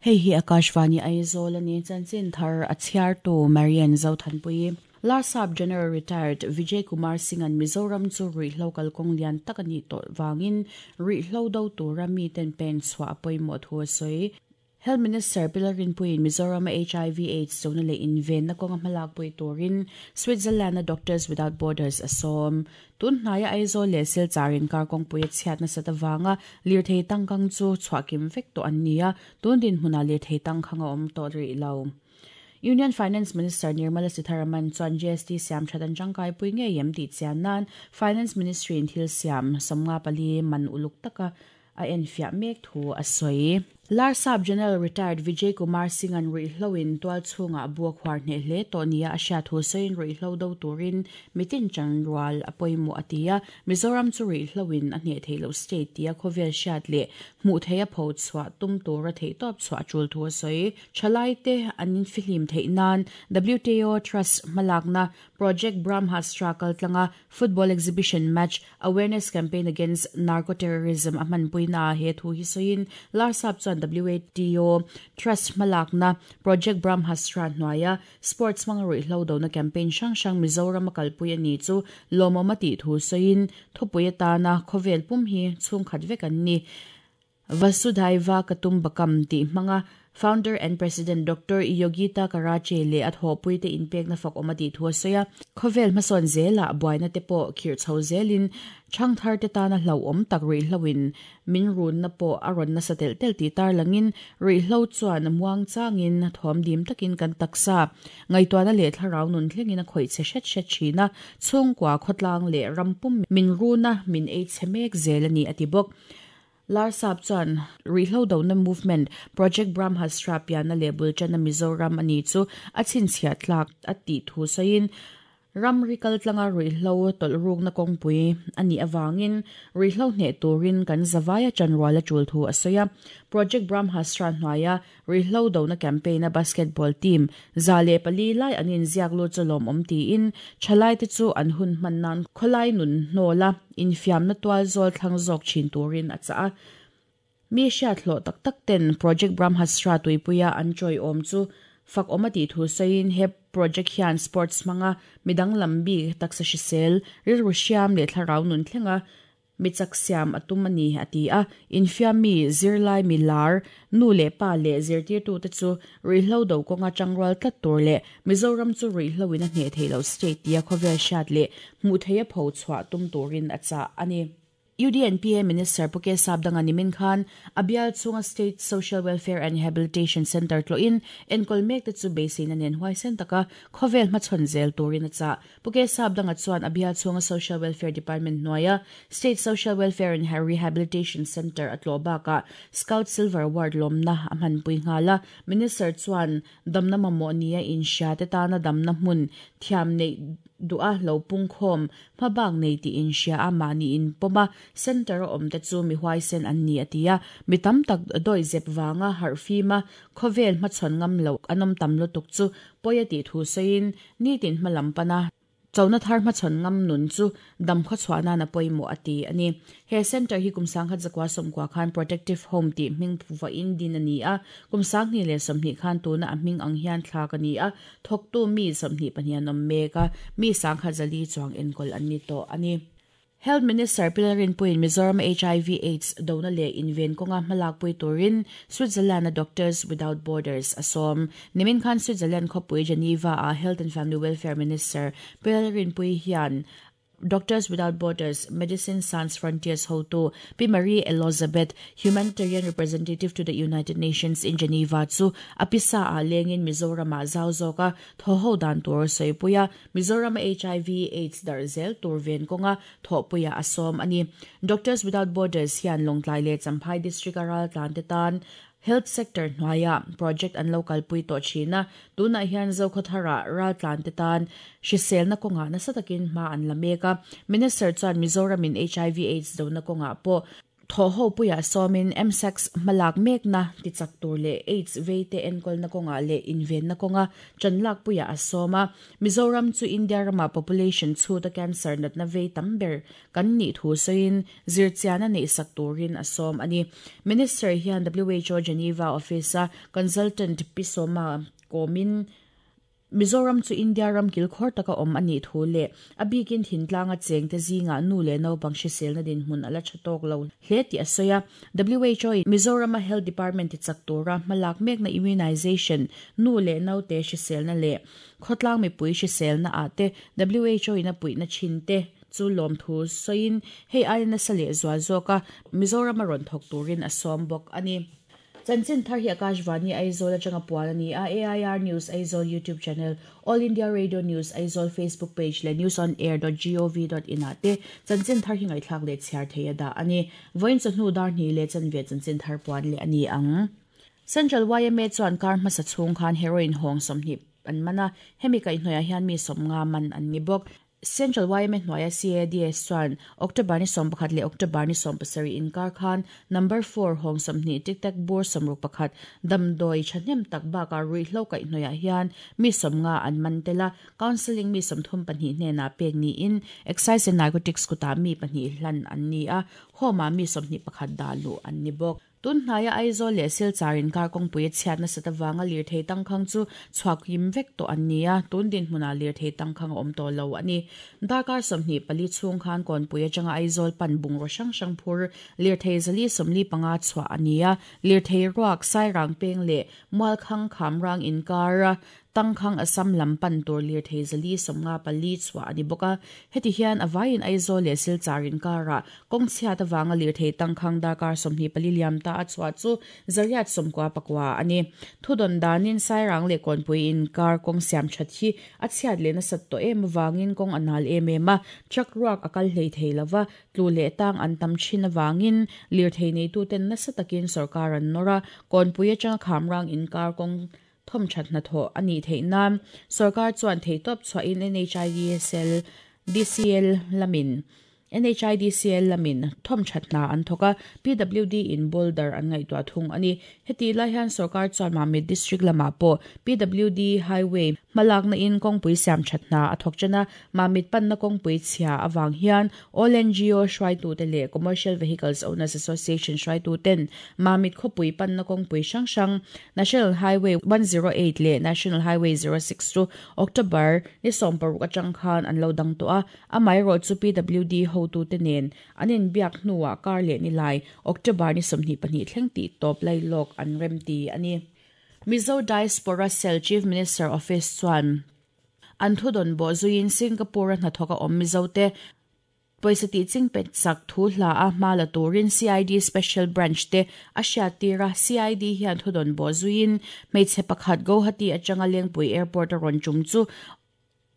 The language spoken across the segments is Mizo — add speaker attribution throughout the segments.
Speaker 1: Hei hi Akashvani Aizawl a ni. Chanchin thar a chhiartu Marian Zothanpuii. Larsap General Retired Vijay Kumar Singh-a'n Mizoram chu ruihhlo kalkawng lian tak a nih tawh vangin ruihhlo do tura miten pen chhuah a pawimawh thu a sawi. Health Minister Pi Lalrinpuiin Mizorama hiv Aids chona leh invenna kawnga hmalakpui turin Switzerland-a Doctors Without Borders a sawm. Tun hnaia Aizawl leh Silchar inkar kawngpui a chhiat nasat avanga lirthei tangkang chu chhuahkim vek tawh an ni a, tun dinhmunah lirthei tangkhang a awm tawh rih lo. Union Finance Minister Nirmala Sitharaman chuan GST siam that an tangkaipui ngei em tih chian nan Finance Ministry-in thil siam 54 man uluk taka a enfiah mek thu a sawi. Larsap General Retired Vijay Kumar Singh-a'n ruihhloin tual chhungah bu a khuar hneh hle tawh nia a hriat thu sawiin ruihhlo do turin mitin chanrual a pawimawh a ti a, Mizoram chu ruihhloin a hneh theih loh state tia khawvel hriat leh hmuh theih a pho chhuah tum tura theihtawp chhuah a tul thu a sawi. Thalaite an infihlim theih nan WTO Trust hmalakna Project Brahmastra kaltlanga Football Exhibition Match Awareness Campaign Against Narco-Terrorism a hmanpuina ah he thu hi sawiin Larsap chuan WATO Trust hmalakna Project Brahmastra hnuaia Sports hmanga ruihhlo dona campaign hrang hrang Mizoram a kalpui a ni chu lawmawm a tih thu sawiin thupui atana khawvel pum hi chhungkhat vek an ni. Vasudhaiva Katumbakam tih hmanga Founder and President Doctor Yogita Karache leh a thawhpuite inpekna fak awm a tih thu a sawi a. Khawvel hmasawn zelah buaina te pawh khirh chho zelin thangthar te tana hlauhawm tak ruihhloin min runna pawh a rawn nasa telh telh tih tarlangin ruihhlo chuan muang changin thawm dim takin kan taksa ngaihtuahna leh thlarau nun thlengin a khawih che hret hret thin a, chhungkua khawtlang leh ram pum min runa min ei chhe mek zel a ni a ti bawk. Larsap chuan ruihhlo dona movement Project Brahmastra pianna leh bul tanna Mizoram a ni chu a chhinchhiah tlak a tih thu sawiin, ramri kaltlanga ruihhlo tawlh rukna kawngpui a nih avangin ruihhlo hneh turin kan zavaia chanrual a tul thu a sawi a. Project Brahmastra hnuaia ruihhlo dona campaign-a basketball team 104 lai an inziak lut chu lawmawm tiin thalaite chu an hun hman nan khawlai nun hnawla infiamna tual zawl thlang zawk thin turin a chah a. Mi hriat hlawh tak tak ten Project Brahmastra tuipuia an chawiawm chu fak awm a tih thu sawiin he project hian sports hmanga midang lam bik taksa hrisel, rilru hriam leh thlarau nun thlenga Mi chak siam a tum a ni, a ti a. Infiam mi, zirlai mi lar, nu leh pa leh zirtirtute chu ruihhlo do kawnga tangrual tlat tur leh Mizoram chu ruihhloin a hneh theih loh state tia khawvel hriat leh hmuh theih a pho chhuah tum turin a chah a ni. UDNPA Minister Pu K Sapdanga nimin khan a bial chhunga State Social Welfare and Rehabilitation Centre tlawhin enkawl mekte chu beiseina nen huaisen taka khawvel hmachhawn zel turin a chah. Pu K Sapdanga chuan a bial chhunga Social Welfare Department hnuaia State Social Welfare and Rehabilitation Centre a tlawh bakah Scout Silver Award lawmna a hmanpui nghal a. Minister chuan damna mamawh nia inhria te tana damna hmun thiam neih duha lo pungkhawm hmabak nei tih inhria a mahni inpawm a, Centre a awm te chu mi huaisen an ni a ti a. Mi tam tak dawihzep vanga harhfim a khawvel hmachhawn ngam loh an awm tam lutuk chu pawi a tih thu sawiin Nitin hma lam pana chona thar hmachhawn ngam nun chu dam khawchhuah nan a pawimawh a ti a ni. He centre hi kum 1990 khan Protective Home tih hming vawiin din a ni a, kum 2020 khan tuna a hming ang hian thlak a ni a, thawktu mi 22 an awm mek a, mi 400 chuang enkawl an ni tawh a ni. Health Minister Pi Lalrinpuiin Mizoram hiv Aids dona leh inven kawnga hmalakpui turin Switzerland-a Doctors Without Borders a sawm. Nimin khan Switzerland khawpui Geneva-a Health and Family Welfare Minister Pi Lalrinpuii hian Doctors Without Borders Medicine Sans Frontiers hotu Pi Marie Elozabeth, Humanitarian Representative to the United Nations in Geneva chu a pisa-ah lengin Mizoram-ah zau zawka thaw ho dan tur sawipui a. Mizoram hiv Aids darh zel tur ven kawnga thawhpuiah a sawm a ni. Doctors Without Borders hian Lawngtlai leh Champhai District a raltlan te tan Health Sector hnuaiah project an lo kalpui tawh thin a, tunah hian Zokhawthara raltlan te tan hriselna kawngah nasa takin hma an la mek a. Minister chuan Mizoram in hiv Aids dona kawngah pawh. Thawhho puiah sawmin MSACS hmalak mekna tichak tur leh AIDS veite enkawlna kawngah leh invenna kawnga chanlak puiah a sawm a. Mizoram chu India rama population chhuta cancer natna vei tam ber kan nih thu sawiin zirchian a neihsak turin a sawm a ni. Minister hian WHO Geneva Office-a Consultant Pi Sawma kawmin Mizoram chu India ram kilkhawr taka awm a nih thu leh a bikin thintlanga chengte zingah nu leh naupang hriselna dinhmun a la tha tawk lo hle tih a sawi a. WHO in Mizorama Health Department tichak tura hmalak mekna immunization, nu leh naute hriselna leh khawtlang mipui hriselna ah te WHO in a puihna thin te chu lawmthu sawiin hei aia nasa leh zual zawka Mizorama rawn thawk turin a sawm bawk a ni. Chanchin thar hi Akashvani Aizawl atanga puan a ni a, AIR News Aizawl YouTube channel, All India Radio News Aizawl Facebook page leh newsonair.gov.in ah te chanchin thar hi ngaihthlak leh chhiar thei a dah a ni. Vawiin chawhnu dar hnih leh chanve chanchin thar puan leh a ni ang. Central yma chuan kar hmasa chhung khan heroin hawng 20 an man a, hemi kaihhnawihah hian mi 50 man an ni bawk. Central yma hnuaia CADS chuan October ni 11 leh October ni 17 inkar khan number 4 hawng 20 tic tac bur 61 damdawi thahnem tak bakah ruihhlo kaihhnawihah hian mi 50 an man tel a, counselling mi 32 hnenah pek niin Excise and Narcotics kutah mi pahnih hlan an ni a, home-ah mi 21 dah luh an ni bawk. Tun hnaia Aizawl leh Silchar inkar kawngpui a chhiat nasat avanga lirthei tangkhang chu chhuak him vek tawh an ni a, tun dinhmunah lirthei tangkhang a awm tawh lo a ni. Darkar 24 chhung khan kawnpui atanga Aizawl pan bungraw hrang hrang phur lirthei zali 45 chhuah a ni a, lirthei ruak Sairang peng leh Mualkhang Khamrang inkar tangkhang Assam lam pan tur lirthei zali 54 chhuah a ni bawk a. Heti hian a vaiin Aizawl leh Silchar inkarah kawng chhiat awanga lirthei tangkhang darkar 24 liam ta a chhuah chu zariat 94 a ni. Thudon danin Sairang leh kawnpui inkar kawng siam that hi a chhiat leh nasat tawh em awangin kawng a nal em em a, truck ruak a kal hlei thei lova, tlu leh tang an tam thin awangin lirthei neituten nasa takin sarkar an nawr a, kawnpui atanga Khamrang inkar kawng thom that hna thaw a nih theih nan sarkar chuan thei tawp chhuahin NHIDSL DCL lamin NHIDCL lamin thom that hna an thawk a, PWD in boulder an ngaihtuah thung a ni. Heti lai hian sarkar chuan Mamit district lamah pawh PWD highway hmalakna in kawngpui siam that hna a thawk ṭan a, Mamit panna kawngpui chhia awang hian All NGO hruaitute leh Commercial Vehicles Owners Association hruaituten Mamit khawpui panna kawngpui hrang hrang National Highway 108 leh National Highway 06 chu October ni 16 atang khan an lo dang tawh a, amaherawh chu PWD hotute nen an inbiak hnuah kar leh ni lai October ni 22 thleng tih tawp lai lawk an rem ti a ni. Mizo Diaspora Cell Chief Minister Office chuan an thudon bo zuiin Singapore a hnathawk a awm Mizo te pawisa tih ching pet sak thu hla a hma la turin CID Special Branch te a hriat tira. CID hian thudon bo zuiin hmeichhe pakhat Guwahati atanga Lengpui Airport a rawn tum chu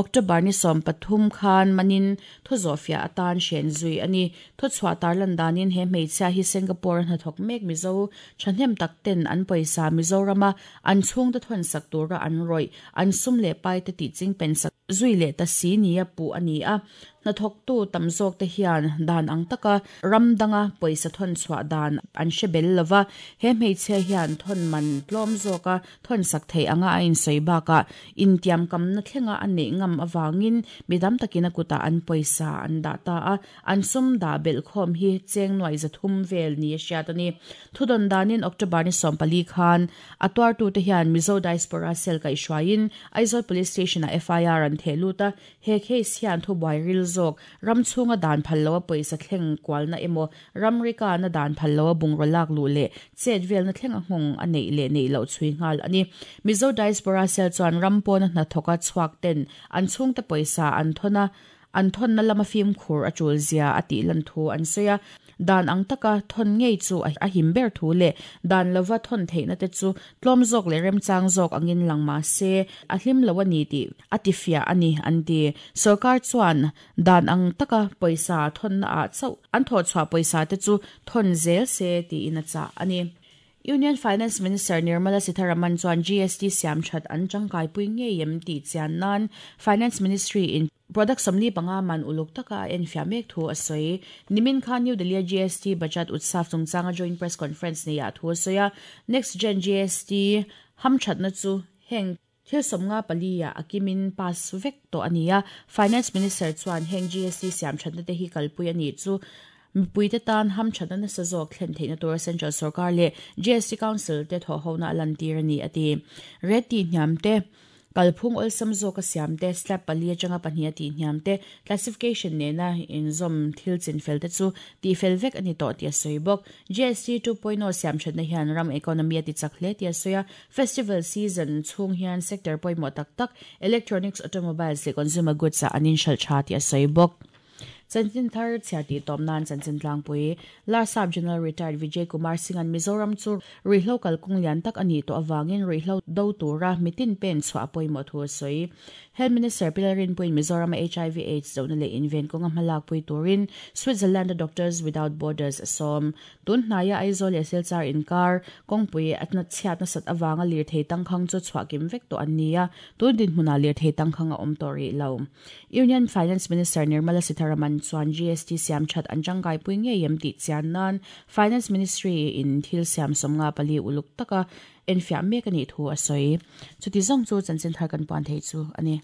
Speaker 1: October ni 13 khan manin thu zawhfiah atan hren zui a ni. Thu chhuah tarlan danin he hmeichhia hi Singapore a hnathawk mek Mizo thahnem tak ten an pawisa Mizorama an chhung te thawn sak tura an rawih an sum leh pai te tih ching pen sak zui leh ta si ni a puh a ni a. Hnathawk tu tam zawk te hian dan ang taka ram danga pawisa thawn chhuah dan an hre bel lova, he hmeichhia hian thawn man tlawm zawka thawn sak thei anga a insawi bakah intiam kamna thlenga a neih ngam awangin midam takin a kutah an pawisa an dah ta a, an sum dah belh khawm hi cheng nuai zathum vel ni a hriat a ni. Thudon danin October ni 14 khan a tuartu te hian Mizo Diaspora Cell kaihhruaiin Aizawl Police Station ah FIR an theh lut a, he case hian thubuai ril zawk ram chhunga dan phal lo a pawisa thleng kualna emaw ramrika na dan phal lo a bungraw lak luh leh chet velna thleng a nghawng a neih leh neih loh chhui nghal a ni. Mizo Diaspora Cell chuan ram pawna hnathawka chhuak ten an chhungte pawisa an thawna an thawnna lama fim khur a tul zia a tih lan thu an sawi a, dan ang taka thawn ngei chu a him ber thu leh dan lova thawn theihna te chu tlawm zawk leh remchang zawk angin lang ma se a hlim lo a ni tih a tifiah a ni an ti. Sarkar chuan dan ang taka pawisa thawnna ah chauh an thawh chhuah pawisa te chu thawn zel se tiin a chah a ni. Union Finance Minister Nirmala Sitharaman chuan GST siam that an tangkai pui ngei em tih chian nan Finance Ministry in Product 45 man uluk taka a enfiah mek thu a sawi. Nimin khan New Delhi-a GST Budget Utsav chungchanga joint press conference neiah thu a sawi a, Next Gen GST hamthatna chu heng thil 54 ah a kimin pass vek tawh a ni a. Finance Minister chuan heng GST siamthatna te hi kalpui a nih chu mipuite tan hamthatna nasa zawk thlen theihna tura Central Sorkar leh GST Council te thawhhona a lantir a ni a ti. Rate tihhniam te. Kalphung awlsam zawka siam te, slab pali atanga pahnih a tihhniam te, classification nena inzawm thil chinfel te chu tihfel vek a ni tawh tih a sawi bawk. GST 2.0 siamthatna hian ram economy a tichak hle tih a sawi a, festival season chhung hian sector pawimawh tak tak electronics, automobiles leh consumer goods ah an inhralh tha tih a sawi bawk. Chanchin thar chhiar tih tawp nan chanchin tlangpui Larsap General Retired Vijay Kumar Singh-a'n Mizoram chu ruihhlo kalkawng lian tak a nih tawh avangin ruihhlo do tura mitin pen chhuah a pawimawh thu a sawi. Health Minister Pi Lalrinpuiin Mizorama hiv Aids dohna leh inven kawnga hmalakpui turin Switzerland-a Doctors Without Borders a sawm. Tun hnaia Aizawl leh Silchar inkar kawngpui a chhiat nasat avanga lirthei tangkhang chu chhuah kim vek tawh an ni a, tun dinhmunah lirthei tangkhang a awm tawh rih lo. Union Finance Minister Nirmala Sitharaman chuan GST siam that an tangkaipui ngei em tih chian nan Finance Ministry in thil siam 54 uluk taka enfiah mek a nih thu a sawi. Chuti zawng chu chanchin thar kan puan thei chu a ni.